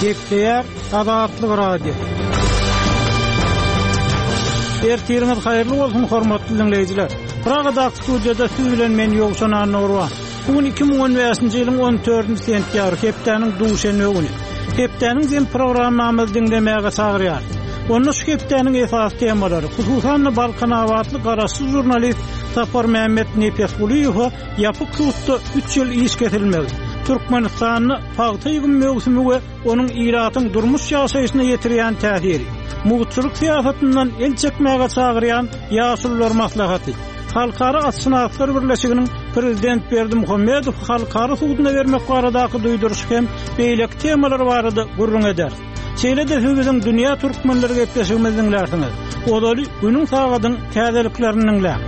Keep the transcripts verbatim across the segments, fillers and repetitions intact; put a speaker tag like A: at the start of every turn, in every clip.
A: Gepleýär Azatlyk Radio. Ertiriňiz haýyrly bolsun hormatly dinleýjiler. Pragadaky studiýada siz bilen men Ýowşan Annagurban. Bu gün iki müň on bäşinji ýylyň on dördünji sentýabry, hepdäniň duşenbe güni. Hepdäniň jem programmamyzy diňlemäge çagyrýar. Onda şu hepdäniň esasy temalary, hususan-da Balkanabatly garaşsyz žurnalist Sapar Mehmet Nepesgulyýewe ýapyk sudda üç ýyl iş kesilmegi, Türkmenistanda pagta ýygym möwsümi we onuň ilatyň durmuş ýaşaýşyna ýetirýän täsiri, mugtçulyk syýasatyndan el çekmäge çagyrýan ýaşulular maslahaty, Halkara Atşynaslar Birleşiginiň Prezident Berdimuhamedow halkara suduna bermek baradaky duýduryş hem beýleki temalar barada gürrüň eder. Şeýle-de siz biziň Dünýä Türkmenleri gepleşigimizi diňlärsiňiz. Ozaly günüň sagadyň täzeliklerini diňläň.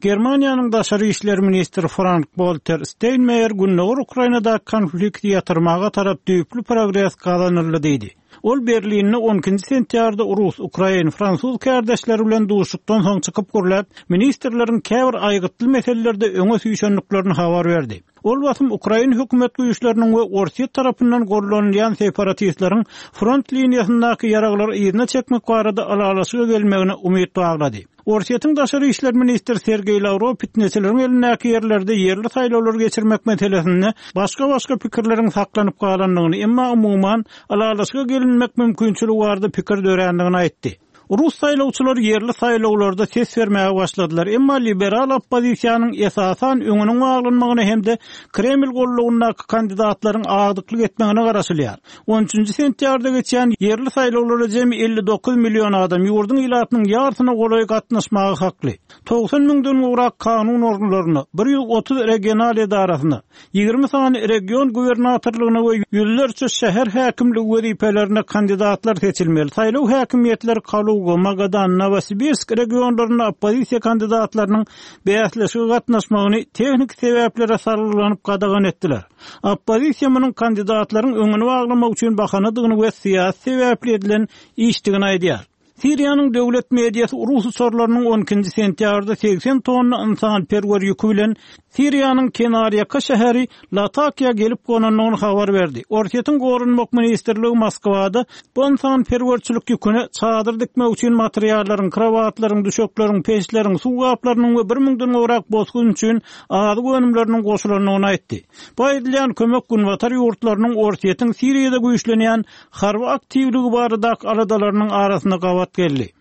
A: Germaniýanyň daşary işler ministri Frank-Walter Steinmeier Gündogar Ukrainada konflikti ýatyrmaga tarap düýpli progres gazanyldy diýdi. Ol Berlinde on ikinji sentýabrda Rus, Ukrain, Fransuz kärdeşleri bilen duşuşykdan soň çykyp gürläp, ministrleriň käbir aýgytly meselelerde öňe süýşendiklerini habar berdi. Ol basym Ukrain hökümet güýçleriniň we Orsýet tarapyndan gollanylýan separatistleriň front liniýasyndaky ýaraglary yzyna çekmek barada ylalaşyga gelmegine umyt baglady. Orsýetiň daşary işler ministri Sergeý Lavrov fitneçileriň elindäki ýerlerde ýerli saýlawlary geçirmek meselesinde başga-başga pikirleriň saklanyp galandygyny, emma umuman ylalaşyga gelinmek mümkinçiligi barada pikir dörändigini aýtdy. Rus saýlawçylary ýerli saýlawlarda ses bermäge başladylar, emma liberal oppozisiýanyň esasan öňüniň baglanmagyna hem-de Kreml gollugyndaky kandidatlaryň agdyklyk etmegine garaşylýar. on üçünji sentýabrda geçýän ýerli saýlawlara jemi elli dokuz million adam ýurduň ilatynyň ýarsyna golaý gatnaşmaga hakly. Togsan müňden gowrak kanun organlaryna, bir ýüz otuz regional edarasyna, ýigrimi sany region gubernatorlygyna we ýüzlerçe şäher häkimligi wezipelerine kandidatlar seçilmeli. Saýlaw häkimiýetleri Kaluga, Magadan, Novosibirsk regionlarynda oppozisiýa kandidatlarynyň bäsleşige gatnaşmagyny tehniki sebäplere salgylanyp gadagan etdiler. Oppozisiýa munuň kandidatlaryň öňüni baglamak üçin bahanadygyny we syýasy sebäpli edilen işdigini aýdýar. Siriýanyň döwlet mediasy Rus uçarlarynyň on ikinji sentýabrda segsen tonna ynsanperwer ýüki bilen Siriýanyň kenarýaka şäheri Latakiýa gelip gonandygyny habar berdi. Orsýetiň Goranmak ministrligi Moskwada bu ynsanperwerçilik ýüküne çadyr dikmek üçin materiallaryň, krovatlaryň, düşekleriň, peçleriň, suw gaplarynyň we bir müňden gowrak bosgun üçin azyk önümleriniň goşulandygyny aýtdy. Bu aýdylýan kömek Günbatar ýurtlarynyň Orsýetiň Siriýada güýçlenýän harby aktiwligi baradaky aladalarynyň arasynda gabat geldi.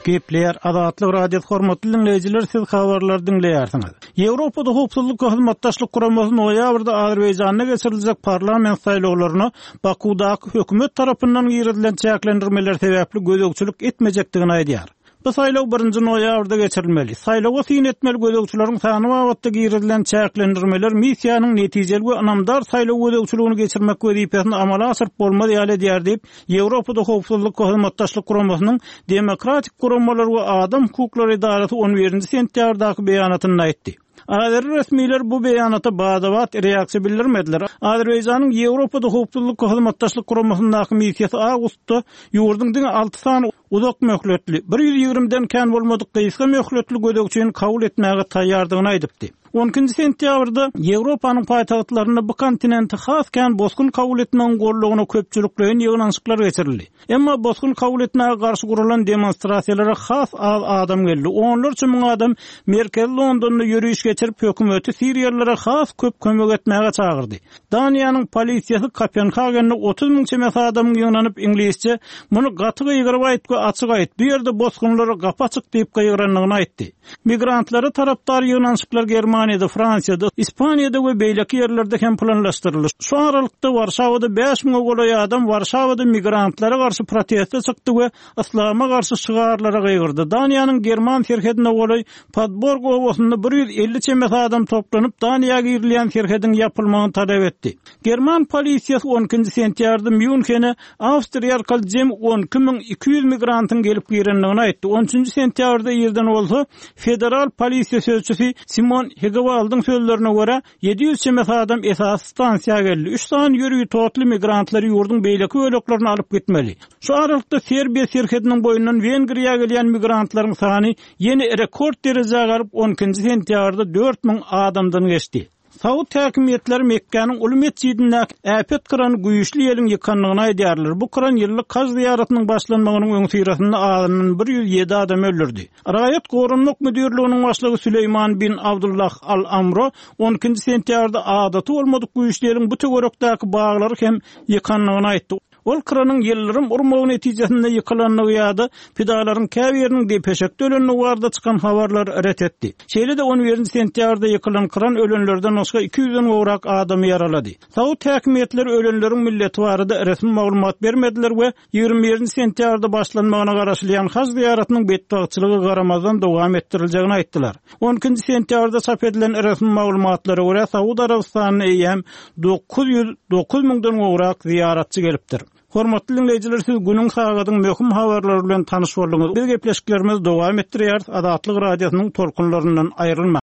A: Gepleýär Azatlyk Radiosy hormatly dinleýjiler, siz habarlary diňleýärsiňiz. Ýewropada howpsuzlyk we hyzmatdaşlyk guramasy noýabrda Azerbaýjanda geçiriljek parlament saýlawlaryna Bakudaky hökümet tarapyndan girizilen çäklendirmeler sebäpli gözegçilik etmejekdigini aýdýar. Bu saýlaw birinji noýabrda geçirilmeli. Saýlawa syn etmeli gözegçileriň sany babatda girizilen çäklendirmeler missiýanyň netijeli we ynamdar saýlaw gözegçiligini geçirmek wezipesini amala aşyryp bolmaz ýaly edýär diýip, Ýewropada howpsuzlyk we hyzmatdaşlyk guramasynyň Demokratik guramalar we adam hukuklary edarasy on birinji sentýabrdaky beýanatynda aýtdy. Azeri resmiler bu beýanata badabat reaksiýa bildirmediler. Azerbaýjanyň Ýewropada howpsuzlyk we hyzmatdaşlyk guramasyndaky missiýasy awgustda ýurduň diňe alty sany uzak möhletli, bir ýüz ýigrimiden kän bolmadyk gysga möhletli gözegçini kabul etmäge taýýardygyny aýdypdy. on ikinji sentýabrda Ýewropanyň paýtagtlarynda bu kontinenti has kän bosgun kabul etmegiň gollugyna köpçülikleýin ýygnanyşyklar geçirildi. Emma bosgun kabul etmäge garşy gurulan demonstrasiýalara has az adam geldi. Onlarça müň adam Merkezi Londonda ýöriş geçirip, hökümeti Siriýalylara has köp kömek etmäge çagyrdy. Daniýanyň polisiýasy Kopenhagende otuz müň çemesi adamyň ýygnanyp iňlisçe muny gaty gygyryp aýt we açyk aýt, bu ýerde bosgunlara gapy açyk diýip gygyrandygyny aýtdy. Migrantlara tarapdar ýygnanyşyklar Germaniýada, Fransiýada, Ispaniýada we beýleki ýerlerde hem planlaşdyryldy. Şu aralykda Warşawada bäş müňe golaý adam Warşawada migrantlara garşy proteste çykdy we islama garşy şygarlara gygyrdy. Daniýanyň German serhedine golaý Padborg obasynda bir ýüz elli çemesi adam toplanyp Daniýa girilýän serhediň ýapylmagyny talap etdi. German polisiýasy on ikinji sentýabrda Mýunhene Awstriýa arkaly jem on iki müň iki ýüz migrantyň gelip girendigini aýtdy. on üçünji sentýabrda irden bolsa federal polisiýa sözçüsi Simon Hegewaldyň sözlerine görä, ýedi ýüz çemesi adam esasy stansiýa geldi. Üç sany ýörite otly migrantlary ýurduň beýleki böleklerine alyp gitmeli. Şu aralykda Serbiýa serhediniň boýundan Wengriýa gelýän migrantlaryň sany ýene rekord derejä galyp, on ikinji sentýabrda dört müň adamdan geçdi. Saud häkimiýetleri Mekgäniň uly metjidindäki äpet kyrany güýçli ýeliň ýykandygyny aýdýarlar. Bu kyran ýyllyk haj zyýaratynyň başlanmagynyň öňüsyrasynda azyndan bir ýüz ýedi adamy öldürdi. Raýat goranmak müdirliginiň başlygy Süleýman bin Abdullah Al-Amro on ikinji sentýabrda adaty bolmadyk güýçli ýeliň bu töwerekdäki baglary hem ýykandygyny aýtdy. Ol kyranyň ýyldyrym urmagy netijesinde ýykylandygy ýa-da pidalaryň käbiriniň depeşekde ölendigi barada çykan habarlary ret etdi. Şeýle-de on birinji sentýabrda ýykylan kyran ölenlerden başga iki ýüzden gowrak adamy ýaralady. Saud häkimiýetleri ölenleriň milleti barada resmi maglumat bermediler we ýigrimi birinji sentýabrda başlanmagyna garaşylýan haj zyýaratynyň betbagtçylyga garamazdan dowam etdiriljegini aýtdylar. On ikinji sentýabrda çap edilen resmi maglumatlara görä, Saud Arabystanyna eýýäm dokuz ýüz dokuz müňden gowrak zyýaratçy gelipdir. Hormatly dinleýjiler, siz günüň sagadyň möhüm habarlary bilen tanyş bolduňyz. Biz gepleşiklerimizi dowam etdirýäris. Azatlyk radiosynyň tolkunlaryndan aýrylmaň.